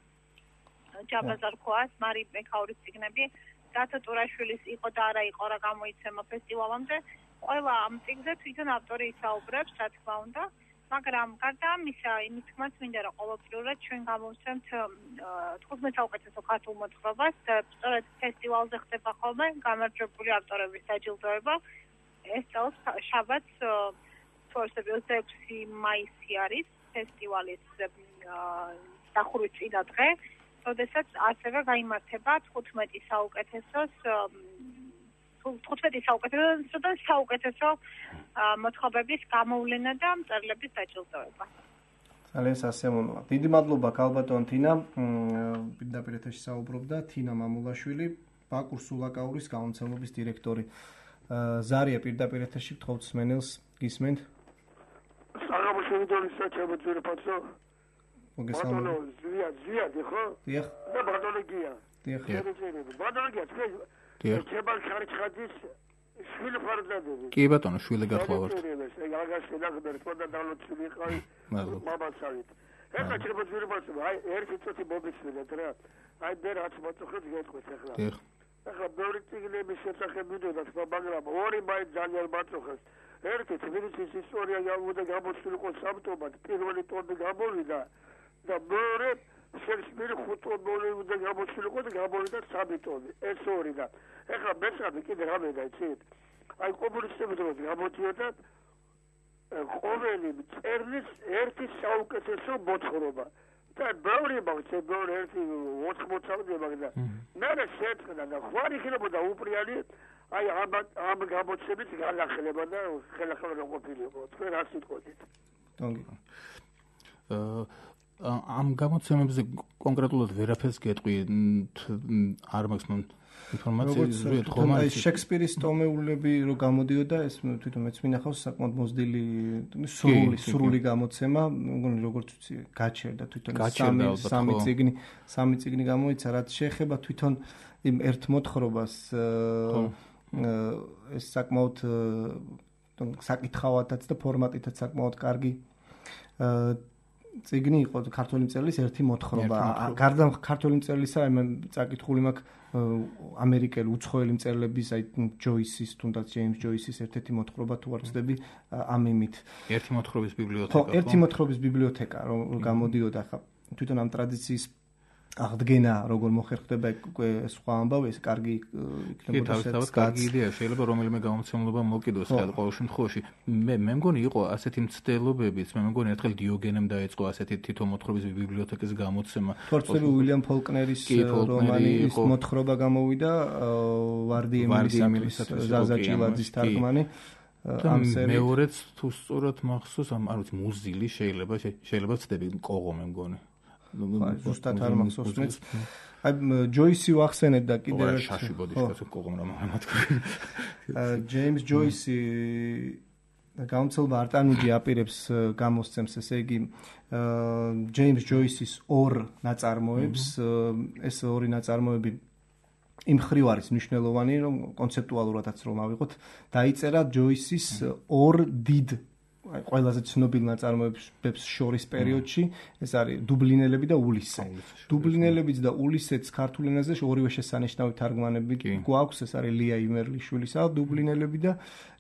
ჯაბაზარ ხოას, მარი მეკაურის წიგნები, დათო ტურაშვილის იყო და არა იყო რა გამოიცემა ფესტივალამდე. ყველა ამ წიგნზე თვითონ ავტორი ისაუბრებს, რა თქმა უნდა, მაგრამ გარდა ამისა, იმის თქმაც მინდა რომ ყოველდღიურად ჩვენ გამოვცემთ 15 საუკეთესო ქართულ მოთხრობას და სწორედ ფესტივალზე ხდება ხოლმე გამარჯვებული ავტორების დაჯილდოება. ეს წელს შაბათს 26 მაისი არის ფესტივალის დახურვის წინა დღე, როდესაც ასევე გაიმართება 15 საუკეთესო მოთხრობების გამოვლენა და მწერლების დაჯილდოება. ძალიან სასიამოვნოა. დიდი მადლობა ქალბატონ თინა. პირდაპირ ეთერში საუბრობდა თინა მამულაშვილი, ბაკურ სულაკაურის გამომცემლობის დირექტორი. ზარია პირდაპირ ეთერში გთხოვთ სმენელს, გისმენთ? საღამოშევიდონის საჩაბოძირო პაცო. მოგესალმებით. ზია, ხო? დიახ. და ბადოლოგია. დიახ. ბადოლოგია, დიახ. ჩებალ ხარჩხაძის შვილი ფარდადები. კი ბატონო, შვილი გახლავართ. აგაში ნახდერ, თქონდა დავლოცილი ყავი. მადლობა. მამაცავით. ეხლა ჩებოძირო პაცო, აი ერთი წუთი მოგისმენთ რა. აი მე რაც მოწოხეთ გეტყვით ახლა. დიახ. ახლა ბევრი წიგნების შესახებ ვიდოდა, მაგრამ ორი მაინც ძალიან მაწუხეს. ერთი თბილისის ისტორია გამოვიდა გამოცდილ იყო სამტომად, პირველი ტომი გამოვიდა და მეორე შექსპირი 5 ტონი უნდა გამოცილიყო და გამოვიდა 3 ტონი. ეს ორი და ეხლა მეცადი კიდე რამე დაიცით? აი კომუნისტები დროს გამოდიოდა ყოველი მწერლის ერთი საუკეთესო მოთხრობა. და ბევრი მაგছে ბევრი ერთი 80-მდე მაგდა. მე შეწყდა და ხوارი ხდებოდა უპრიანი აი ამ გამოცემით განახლება და ხელახლა ყოფილიყო. თქვენ რა სიტყვით? ამ გამოცემებზე კონკრეტულად ვერაფერს გეტყვი არ მაქვს ინფორმაცია ზუსტად ხომ არის შექსპირის ტომეულები რო გამოდიოდა ეს თვითონ მეც მინახავს საკმაოდ მოზრდილი სრული გამოცემა მგონი როგორც ვიცი გაჩერდა თვითონ სამი წიგნი გამოიცა რაც შეეხება თვითონ იმ ერთ მოთხრობას ეს საკმაოდ საკითხავადაც და ფორმატითაც საკმაოდ კარგი წიგნი იყო ქართული მწერლის ერთი მოთხრობა. გარდა ქართული მწერლისა, მე წაკითხული მაქვს ამერიკელი უცხოელი მწერლების, აი ჯოისის, თუნდაც ჯეიმს ჯოისის ერთ-ერთი მოთხრობა თუ არ ვცდები ამ იმით. ერთი მოთხრობის ბიბლიოთეკა. ხო, ერთი მოთხრობის ბიბლიოთეკა, რომ გამოდიოდა ხა თვითონ ამ ტრადიციის აღდგენა როგორ მოხერხდება უკვე სხვა ამბავი ეს კარგი იქნებოდა თავისთავად კარგი იდეა შეიძლება რომელიმე გამოცემულობა მოკიდოს ხელ ყოველ შემთხვევაში მე მგონი იყო ასეთი მცდელობებიც მე მგონი ერთხელ დიოგენემ დაიწყო ასეთი თითო მოთხრობის ბიბლიოთეკის გამოცემა თორცელი უილიამ ფოლკნერის რომანი ის მოთხრობა გამოვიდა ვარდი ემილისათვის ზაზა ჭილაძის თარგმანი ამ სერიით მეორეც თუ სწორად მახსოვს ამ არ ვიცი მუზილი შეიძლება ვცდები კოღო მე მგონი ზუსტად არ მახსოვს მეც. აი ჯოისი ვახსენებ და კიდევ ერთ შაში ბოდიშკაცო კოღომ რა მათქვი. ჯეიმს ჯოისი გამოცემულობა არტანუჯი აპირებს გამოსცემს ესე იგი ჯეიმს ჯოისის ორ ნაწარმოებს ეს ორი ნაწარმოები იმ ხრივ არის მნიშვნელოვანი რომ კონცეპტუალურადაც რომ ავიღოთ დაიწერა ჯოისის ორ დიდ აი ყველაზე ცნობილ ნაწარმოებებს შორის პერიოდში ეს არის დუბლინელები და ულისე. დუბლინელებიც და ულისეც ქართულ ენაზე ორივე შესანიშნავი თარგმანები გვაქვს ეს არის ლია იმერლიშვილისა დუბლინელები და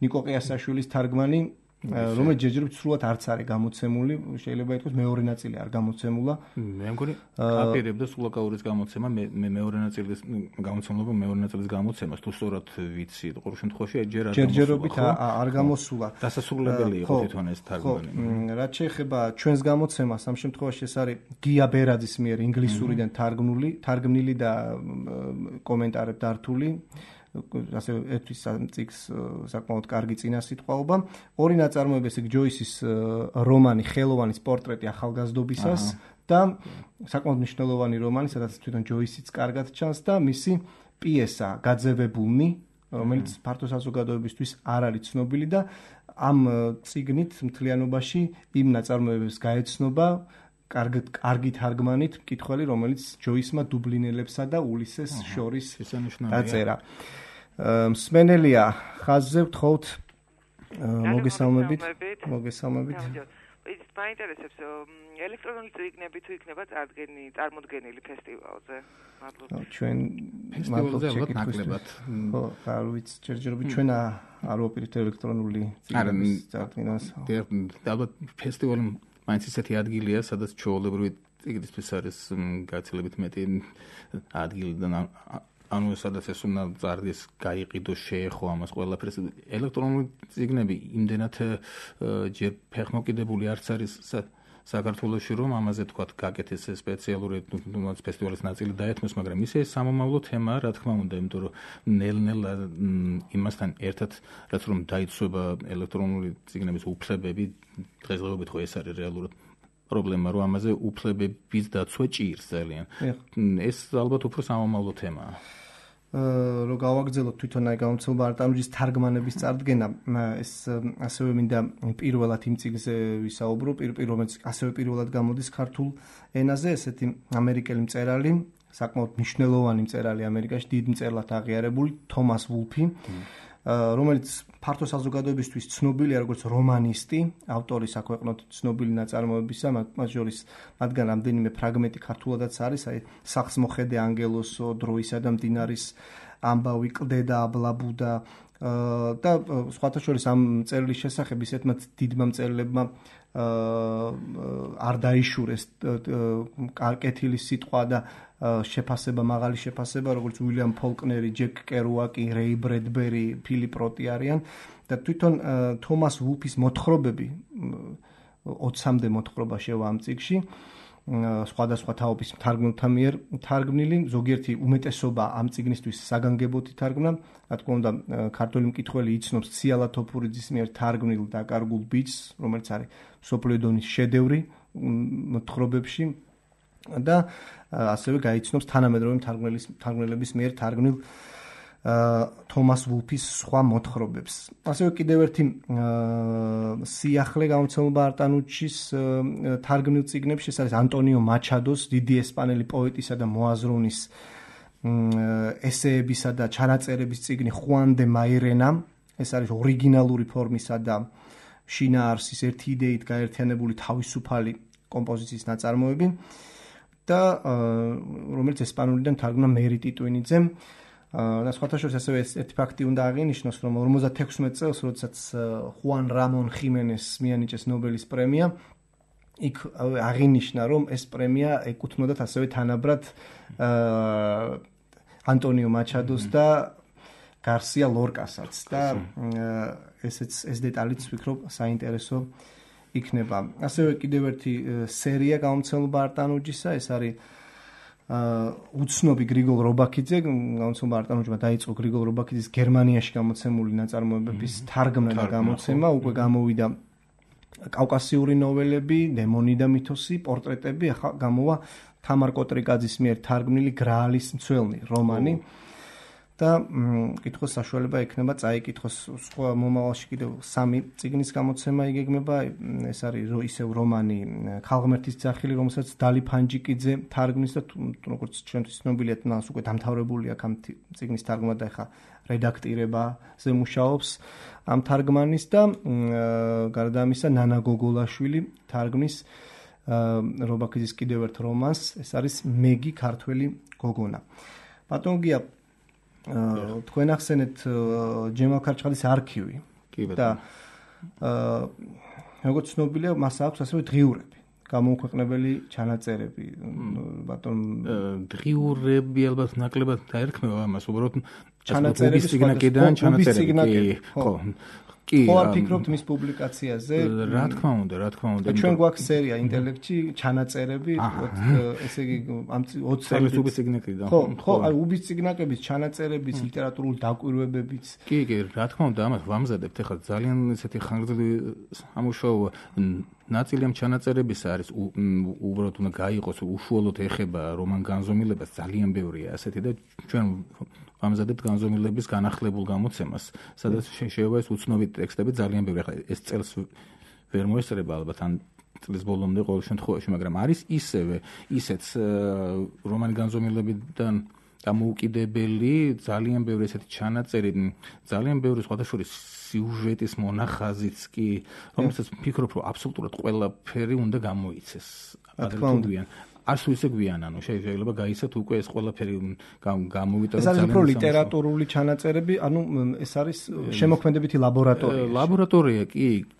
ნიკო ყიასაშვილის თარგმანი რომელიც ჯერჯერობით სრულად არც არის გამოცემული შეიძლება ითქვას მეორე ნაწილი არ გამოცემულა მე მგონი აპირებდა სულაკაურის გამოცემა მე მეორე ნაწილის გამოცემულობა მეორე ნაწილის გამოცემას თუ სწორად ვიცი ყოველ შემთხვევაში ჯერჯერობით არ გამოსულა დასასრულებელი იყო თვითონ ეს თარგმანი რაც შეეხება ჩვენს გამოცემას ამ შემთხვევაში ეს არის გია ბერაძის მიერ ინგლისურიდან თარგმნილი და კომენტარებ დართული ასე ერთის წიგს საკმაოდ კარგი წინასიტყვაობა. ორი ნაწარმოები ეს ჯოისის რომანი ხელოვანის პორტრეტი ახალგაზრდობისას და საკმაოდ მნიშვნელოვანი რომანი, სადაც თვითონ ჯოისიც კარგად ჩანს და მისი პიესა გაძევებულნი, რომელიც ფართო საზოგადოებისთვის არ არის ცნობილი და ამ წიგნით მთლიანობაში იმ ნაწარმოებებს გაეცნობა კარგი თარგმანით მკითხველი, რომელიც ჯოისმა დუბლინელებსა და ულისეს შორის დაწერა. მსმენელია ხაზზე ვთხოვთ მოგესალმებით. ის მაინტერესებს ელექტრონული წიგნები თუ იქნება წარმოდგენილი ფესტივალზე. მადლობა. ჩვენ ფესტივალზე ნაკლებად. ხო, არ ვიცი, ჯერჯერობით ჩვენ არ ვაპირებთ ელექტრონული წიგნების წარდგენას. ალბათ ფესტივალი მაინც ისეთი ადგილია, სადაც ჩვეულებრივი წიგნისთვის არის გაცილებით მეტი ადგილი და ანუ სადაც ეს უნდა წარდეს, გაიყიდოს, შეეხო ამას ყველაფერს. ელექტრონული წიგნები იმდენად ჯერ ფეხმოკიდებული არც არის საქართველოში, რომ ამაზე თქვათ გაკეთეს სპეციალური ფესტივალის ნაწილი დაეთმოს, მაგრამ ისე სამომავლო თემაა, რა თქმა უნდა, იმიტომ რომ ნელ-ნელა იმასთან ერთად რაც რომ დაიცვება ელექტრონული წიგნების უფლებები, დღესდღეობით ხო ეს არის რეალურად პრობლემა, რომ ამაზე უფლებების დაცვა ჭირს ძალიან. ეს ალბათ უფრო სამომავლო თემაა. რომ გავაგრძელოთ თვითონ აი გამოცემულობა არტანუჯის თარგმანების წარდგენა, ეს ასევე მინდა პირველად იმ წიგნზე ვისაუბრო, რომელიც ასევე პირველად გამოდის ქართულ ენაზე, ესეთი ამერიკელი მწერალი, საკმაოდ მნიშვნელოვანი მწერალი ამერიკაში, დიდ მწერლად აღიარებული, თომას ვულფი, რომელიც ფართო საზოგადოებისთვის ცნობილია როგორც რომანისტი, ავტორი საქვეყნოდ ცნობილი ნაწარმოებისა, მათ შორის მათგან რამდენიმე ფრაგმენტი ქართულადაც არის, აი სახს მოხედე ანგელოსო, დროისა და მდინარის ამბავი, კლდე და აბლაბუდა, და სხვათა შორის ამ წერილის შესახებ ისეთმა დიდმა მწერლებმა არ დაიშურეს კეთილის სიტყვა და შეფასება, მაღალი შეფასება, როგორც უილიამ ფოლკნერი, ჯეკ კერუაკი, რეი ბრედბერი, ფილიპ როტი არიან და თვითონ თომას ვულფის მოთხრობები 20-მდე მოთხრობა შევა ამ წიგნში, სხვადასხვა თაობის მთარგმნელთა მიერ თარგმნილი, ზოგიერთი უმეტესობა ამ წიგნისთვის საგანგებოდ ითარგმნა, რა თქმა უნდა, ქართველი მკითხველი იცნობს ციალა თოფურიძის მიერ თარგმნილ დაკარგულ ბიჭს, რომელიც არის მსოფლიო დონის შედევრი მოთხრობებში და ასევე გაიცნობს თანამედროვე მთარგმნელების მიერ თარგმნილ თომას ვულფის სხვა მოთხრობებს. ასევე კიდევ ერთი სიახლე გამოცემულობა არტანუჩის თარგმნილ წიგნებში, ეს არის ანტონიო მაჩადოს, დიდი ესპანელი პოეტისა და მოაზროვნის ესეებისა და ჩანაწერების წიგნი ხუან დე მაირენა, ეს არის ორიგინალური ფორმისა და შინაარსის ერთი იდეით გაერთიანებული თავისუფალი კომპოზიციის ნაწარმოები და რომელიც ესპანურიდან თარგმნა მერი ტიტვინიძემ. და სხვათა შორის ასევე ერთი ფაქტი უნდა აღინიშნოს, რომ 56 წელს, როდესაც ხუან რამონ ხიმენეს მიანიჭეს ნობელის პრემია, იქ აღინიშნა, რომ ეს პრემია ეკუთვნოდათ ასევე თანაბრად ანტონიო მაჩადოს და გარსია ლორკასაც და ეს დეტალიც ვფიქრობ საინტერესო იქნება. ასევე კიდევ ერთი სერია გამოცემულობა არტანუჯისა, ეს არის უცნობი გრიგოლ რობაქიძე, გამოცემულობა არტანუჯმა დაიწყო გრიგოლ რობაქიძის გერმანიაში გამოცემული ნაწარმოებების თარგმნა და გამოცემა, უკვე გამოვიდა კავკასიური ნოველები, დემონი და მითოსი, პორტრეტები, ახლა გამოვა თამარ კოტრიკაძის მიერ თარგმნილი გრაალის მცველნი რომანი და კითხოს საშუალება ექნება წაიკითხოს სხვა მომავალში კიდევ 3 წიგნის გამოცემა იგეგმება, ეს არის ისევ რომანი ქალღმერთის ძახილი, რომელსაც დალი ფანჯიკიძე თარგმნის და როგორც ჩვენთვის ცნობილია, მას უკვე დამთავრებული აქვს ამ წიგნის თარგმნა და ახლა რედაქტირებაზე მუშაობს ამ თარგმანის და გარდა ამისა ნანა გოგოლაშვილი თარგმნის რობაქიძის კიდევ ერთ რომანს, ეს არის მეგი ქართველი გოგონა. ბატონ გია, თქვენ ახსენეთ ჯემალ ქარჩხალის არქივი და როგორც ცნობილია, მას აქვს ასევე დღიურები, გამოუქვეყნებელი ჩანაწერები. ბატონ დღიურები ალბათ ნაკლებად დაერქმევა ამას, უბრალოდ ჩანაწერების სიგნაკიდან ჩანაწერები. ხო. ხო არ ფიქრობთ მის პუბლიკაციაზე? რა თქმა უნდა. ჩვენ გვაქვს სერია ინტელექტში ჩანაწერები, ესე იგი ამ 20 წლის უბის სიგნაკიდან. ხო, აი უბის სიგნაკების ჩანაწერების, ლიტერატურული დაკვირვებებიც. კი, რა თქმა უნდა, ამას ვამზადებთ. ეხლა ძალიან ესეთი ხანგრძლივი სამუშაოა. ნაწილი ამ ჩანაწერების არის უბრალოდ უნდა გაიყოს, უშუალოდ ეხება რომან განზომილებას, ძალიან ბევრია ასეთი და ჩვენ ვამზადებთ განზომილების განახლებულ გამოცემას, სადაც შეიძლება ეს უცნობი ტექსტები ძალიან ბევრი. ახლა ეს წელს ვერ მოესწრება ალბათ ან წლის ბოლომდე ყოველ შემთხვევაში, მაგრამ არის ისეც რომანი განზომილებიდან დამოუკიდებელი ძალიან ბევრი ესეთი ჩანაწერი, ძალიან ბევრი სხვათა შორის სიუჟეტის მონახაზიც კი, რომელსაც ვფიქრობ, რომ აბსოლუტურად ყველაფერი უნდა გამოიცეს. ადრე არც ისე გვიან, ანუ შეიძლება გაიცათ უკვე ეს ყველაფერი გამოვიტანოთ. ეს არის უფრო ლიტერატურული ჩანაწერები, ანუ ეს არის შემოქმედებითი ლაბორატორია. ლაბორატორია,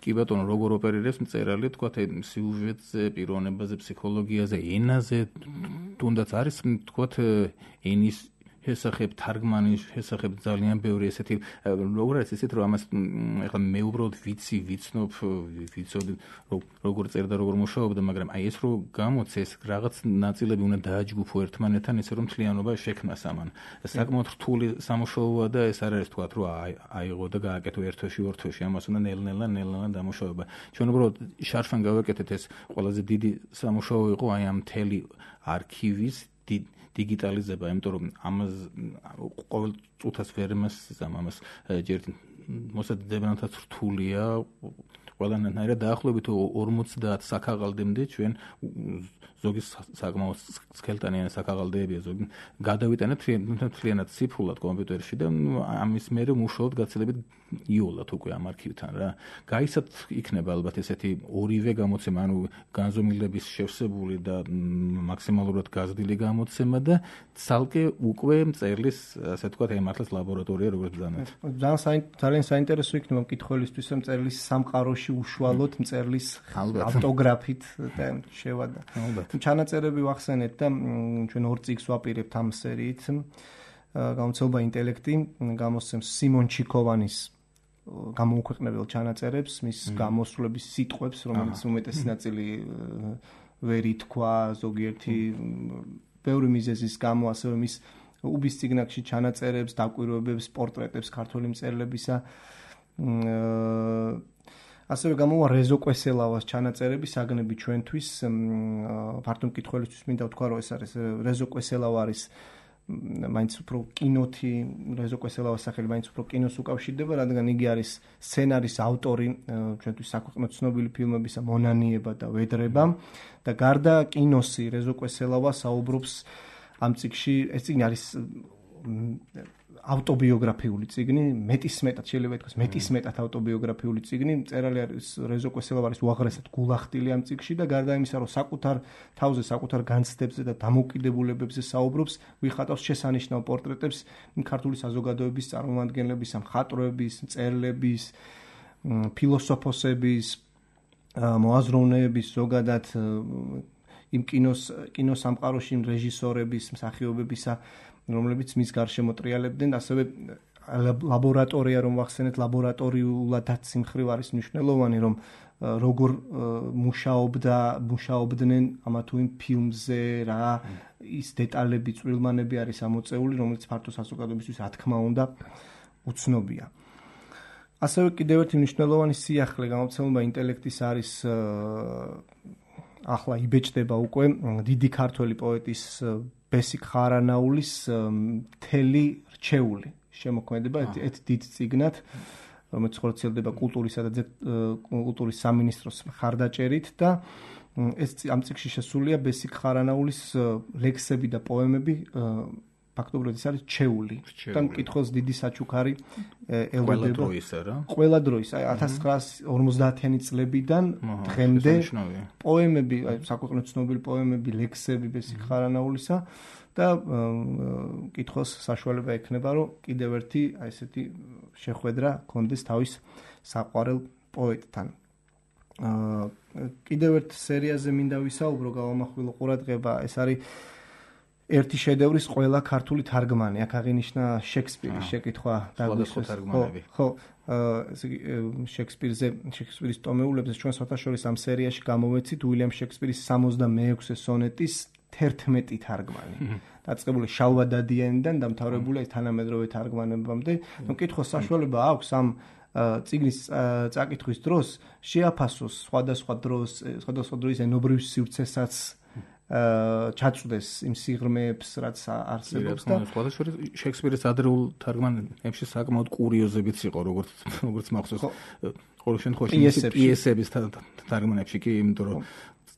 კი ბატონო, როგორ ოპერირებს მწერალი, თქვათ სიუჟეტზე, პიროვნებაზე, ფსიქოლოგიაზე, ენაზე, თუნდაც არის, თქვათ ენის შესახებ, თარგმანის შესახებ ძალიან ბევრი ესეთი, როგორ არის ისეთ, რომ ამას ეხლა მე უბრალოდ ვიცნობ, ვიცოდი როგორ წერდა, როგორ მუშაობდა, მაგრამ აი ეს რო გამოცეს, რაღაც ნაწილები უნდა დააჯგუფო ერთმანეთთან, ისე რომ მთლიანობა შექმნას ამან. საკმაოდ რთული სამუშაოა და ეს არ არის თქვათ, რომ აიღო და გააკეთო ერთ თვეში, ორ თვეში, ამას უნდა ნელ-ნელა დამუშავება. ჩვენ უბრალოდ შარშან გავაკეთეთ, ეს ყველაზე დიდი სამუშაო იყო აი ამ მთელი არქივის digitalizება, იმიტომ რომ ამას ყოველ წუთას ვერ იმას ამას ჯერ მოსადებნათაც რთულია, ყველანაირად დაახლოებით 50 საქაღალდემდე ჩვენ ზოგი საკმაოდ სქელტანიანი საქაღალდეებია, ზოგი გადავიტანეთ მთლიანად ციფრულად კომპიუტერში და ამის მერე მუშაობთ გაცილებით იოლად უკვე ამ არქივთან რა. გაიცათ იქნება ალბათ ესეთი ორივე გამოცემა, ანუ განზომილების შევსებული და მაქსიმალურად გაზრდილი გამოცემა და ცალკე უკვე მწერლის, ასე ვთქვათ, მართლაც ლაბორატორია როგორც ბრძანეთ. ძალიან საინტერესო იქნება მკითხველისთვის, რომ მწერლის სამყაროში უშუალოდ მწერლის ავტოგრაფით შევადა. ჩანაწერები ვახსენეთ და ჩვენ 2 წიგნს ვაპირებთ ამ სერიით. გამოცემა ინტელექტი გამოსცემს სიმონ ჩიქოვანის გამოუქვეყნებელ ჩანაწერებს, მის გამოსვლების სიტყვებს, რომელიც უმეტესი ნაწილი ვერ ითქვა, ზოგიერთი ბევრი მიზეზის გამო, ასევე მის უბის წიგნებში ჩანაწერებს, დაკვირვებებს, პორტრეტებს ქართველი მწერლებისა. ასევე გამოვა რეზო კვესელავას ჩანაწერები საგნები ჩვენთვის. ფართო მკითხველისთვის მინდა ვთქვა, რომ ეს არის რეზო კვესელავა არის მაინც უფრო კინოთი, რეზო კვესელავას სახელი მაინც უფრო კინოს უკავშირდება, რადგან იგი არის სცენარის ავტორი ჩვენთვის საქვეყნო ცნობილი ფილმებისა მონანიება და ვედრება და გარდა კინოსი რეზო კვესელავა საუბრობს ამ წიგნში, ეს წიგნი არის ავტობიოგრაფიული წიგნი, მეტისმეტად შეიძლება ითქვას, მეტისმეტად ავტობიოგრაფიული წიგნი. მწერალი არის რეზო კვესელავა არის უაღრესად გულახდილი ამ წიგნში და გარდა იმისა, რომ საკუთარ თავზე, საკუთარ განცდებზე და დამოუკიდებულებებზე საუბრობს, ვიხატავს შესანიშნავ პორტრეტებს ქართული საზოგადოების წარმომადგენლების, მხატვრების, მწერლების, ფილოსოფოსების, მოაზროვნეების, ზოგადად იმ კინოს სამყაროში რეჟისორების, მსახიობებისა, რომლებიც მის გარშემო ტრიალებდნენ, ასევე ლაბორატორია რომ ვახსენეთ, ლაბორატორიულადაც სიმხრივ არის მნიშვნელოვანი, რომ როგორ მუშაობდნენ ამა თუ იმ ფილმზე, რა ის დეტალები, წვრილმანები არის ამოწეული, რომელიც ფართო საზოგადოებისთვის რა თქმა უნდა უცნობია. ასევე კიდევ ერთი მნიშვნელოვანი სიახლე გამოცემულობა ინტელექტის არის ახლა იბეჭდება უკვე დიდი ქართველი პოეტის ბესიკ ხარანაულის მთელი რჩეული შემოქმედება ერთ დიდ წიგნად, რომელიც ხორციელდება კულტურის სამინისტროს მხარდაჭერით და ეს ამ წიგნში შესულია ბესიკ ხარანაულის ლექსები და პოემები, ფაქტობრივად ეს არის რჩეული და მკითხველს დიდი საჩუქარი ელოდება ყველა დროის, 1950-იანი წლებიდან დღემდე პოემები, საქვეყნო ცნობილი პოემები, ლექსები ბესიკ ხარანაულისა და მკითხველს საშუალება ექნება, რომ კიდევ ერთი ესეთი შეხვედრა კონდეს თავის საყვარელ პოეტთან. კიდევ ერთ სერიაზე მინდა ვისაუბრო, გავამახვილო ყურადღება, ეს არის ერთი შედევრის ყველა ქართული თარგმანი. აქ აღინიშნა შექსპირის შეკითხვა დაგვისვეს. ხო, შექსპირის ტომეულებზე ჩვენ საერთაშორის ამ სერიაში გამოვეცით უილიამ შექსპირის 66 სონეტის 11 თარგმანი. დაწყებული შალვა დადიანიდან დამთავრებული თანამედროვე თარგმანებამდე. მკითხოს საშუალება აქვს ამ წიგნის წაკითხვის დროს შეაფასოს სხვადასხვა დროის ენობრივ სივრცესაც ჩაწვდეს იმ სიღრმეებს, რაც არსებობს და სხვადასხვა შექსპირის ადრეულ თარგმანებში საკმაოდ კურიოზებიც იყო, როგორც მახსოვს. ყოველ შემთხვევაში პიესების თარგმანებში კი, იმიტომ რომ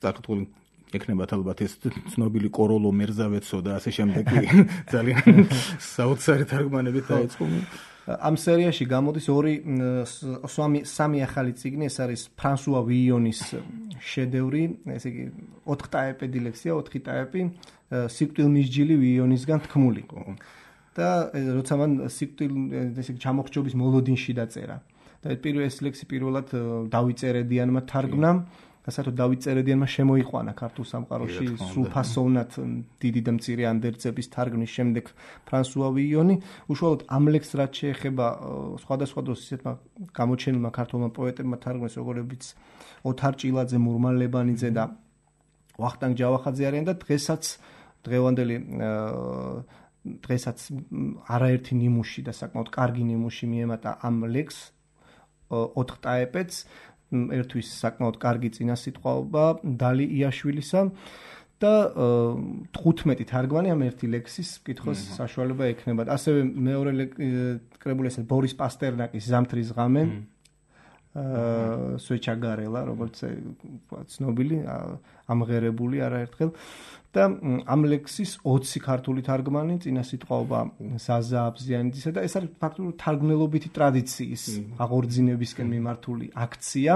სტატიკული ეკნებათ ალბათ ეს ცნობილი კოროლო მერზავეცო და ასე შემდეგ ძალიან საოცარი თარგმანებით დაიწყო. ამ სერიაში გამოდის სამი ახალი წიგნი, ეს არის ფრანსუა ვიიონის შედევრი, ესე იგი 4 ტაეპედი ლექსია, 4 ტაეპი, სიკვდილმისჯილი ვიიონისგან თქმული. და როცა მან სიკვდილ ჩამოხრჩობის მოლოდინში დაწერა. და ეს ლექსი პირველად დავით წერედიანმა თარგმნა. საერთოდ დავით წერედიანმა შემოიყვანა ქართულ სამყაროში სრულფასოვნად დიდი და მცირე ანდერძების თარგმნის შემდეგ ფრანსუა ვიიონი. უშუალოდ ამ ლექსს რაც შეეხება სხვადასხვა დროს ისეთმა გამოჩენილმა ქართულმა პოეტებმა თარგმნეს, როგორებიც ოთარ ჭილაძე, მურმა ლებანიძე და ვახტანგ ჯავახაძე არიან და დღესაც არაერთი ნიმუში და საკმაოდ კარგი ნიმუში მიემატა ამ ლექსს 4 ტაეპეთს. ერთვის საკმაოდ კარგი წინასიტყვაობა დალი იაშვილისა და 15 თარგმანი ამ ერთი ლექსის მკითხოს საშუალება ექნება. ასევე მეორე კრებული ეს ბორის პასტერნაკის ზამთრის ღამე, სვეჩაგარელა, როგორც ცნობილი, ამღერებული არაერთხელ და ამ ლექსის 20 ქართული თარგმანი, წინა სიტყვაობა ზაზა აბზიანიძისა და ეს არის ფაქტობრივად თარგმნელობითი ტრადიციის აღორძინებისკენ მიმართული აქცია.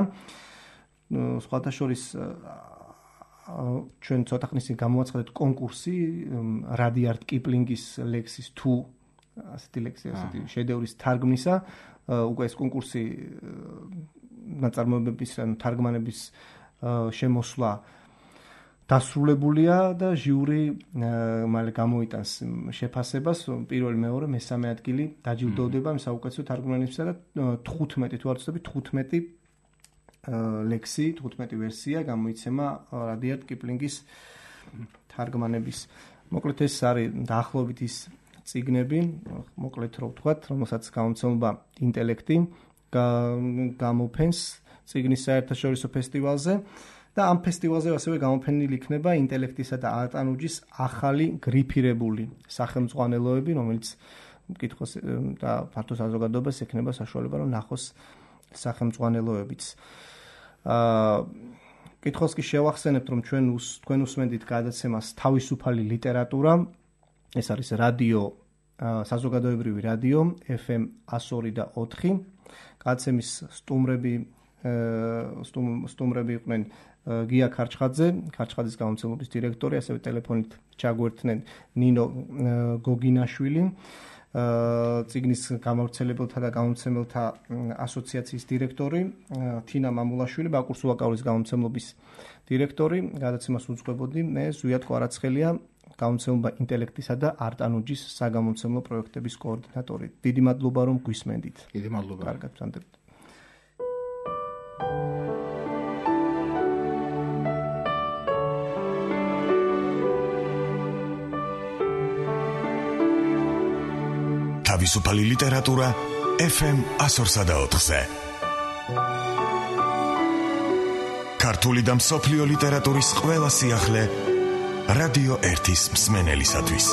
სხვათა შორის ჩვენ ცოტა ხნის წინ გამოვაცხადეთ კონკურსი რადიარდ კიპლინგის ლექსის თუ ასეთი ლექსი, ასეთი შედევრის თარგმნისა. უკვე ეს კონკურსი ნაწარმოებების ან თარგმანების შემოსვლა დასრულებულია და ჟიური მალე გამოიტანს შეფასებას, პირველი, მეორე, მესამე ადგილი დაჯილდოვდება იმ საუკეთესო თარგმანებისა და 15 თუ არ ვცდები 15 ლექსი, 15 ვერსია გამოიცემა რადიარდ კიპლინგის თარგმანების. მოკლედ ეს არის დაახლოებით ის წიგნები, მოკლედ რო ვთქვათ, რომელსაც გამომცემლობა ინტელექტი გამოფენს წიგნის საერთაშორისო ფესტივალზე და ამ ფესტივალზე ასევე გამოფენილი იქნება ინტელექტისა და არტანუჯის ახალი გრიფირებული სახელმძღვანელოები, რომელიც მკითხოს და ფართო საზოგადოებას ექნება საშუალება რომ ნახოს სახელმძღვანელოებიც. კითხოს კი შევახსენებთ, რომ თქვენ უსმენთ გადაცემას თავისუფალი ლიტერატურა. ეს არის რადიო, საზოგადოებრივი რადიო FM 102 და 4. გადაცემის სტუმრები იყვნენ გია ქარჩხაძე, ქარჩხაძის გამომცემლობის დირექტორი, ასევე ტელეფონით ჩაგვერთნენ ნინო გოგინაშვილი, წიგნის გამავრცელებელთა და გამომცემელთა ასოციაციის დირექტორი, თინა მამულაშვილი, ბაკურ სულაკაურის გამომცემლობის დირექტორი. გადაცემას უძღვებოდი მე, ზვიად კვარაცხელია, გამომცემლობა ინტელექტისა და არტანუჯის საგამომცემლო პროექტების კოორდინატორი. დიდი მადლობა რომ გვისმენდით. დიდი მადლობა. კარგად ვსანდებთ. თავისუფალი ლიტერატურა FM 104-ზე. ქართული და მსოფლიო ლიტერატურის ყველა სიახლე რადიო 1-ის მსმენელისათვის.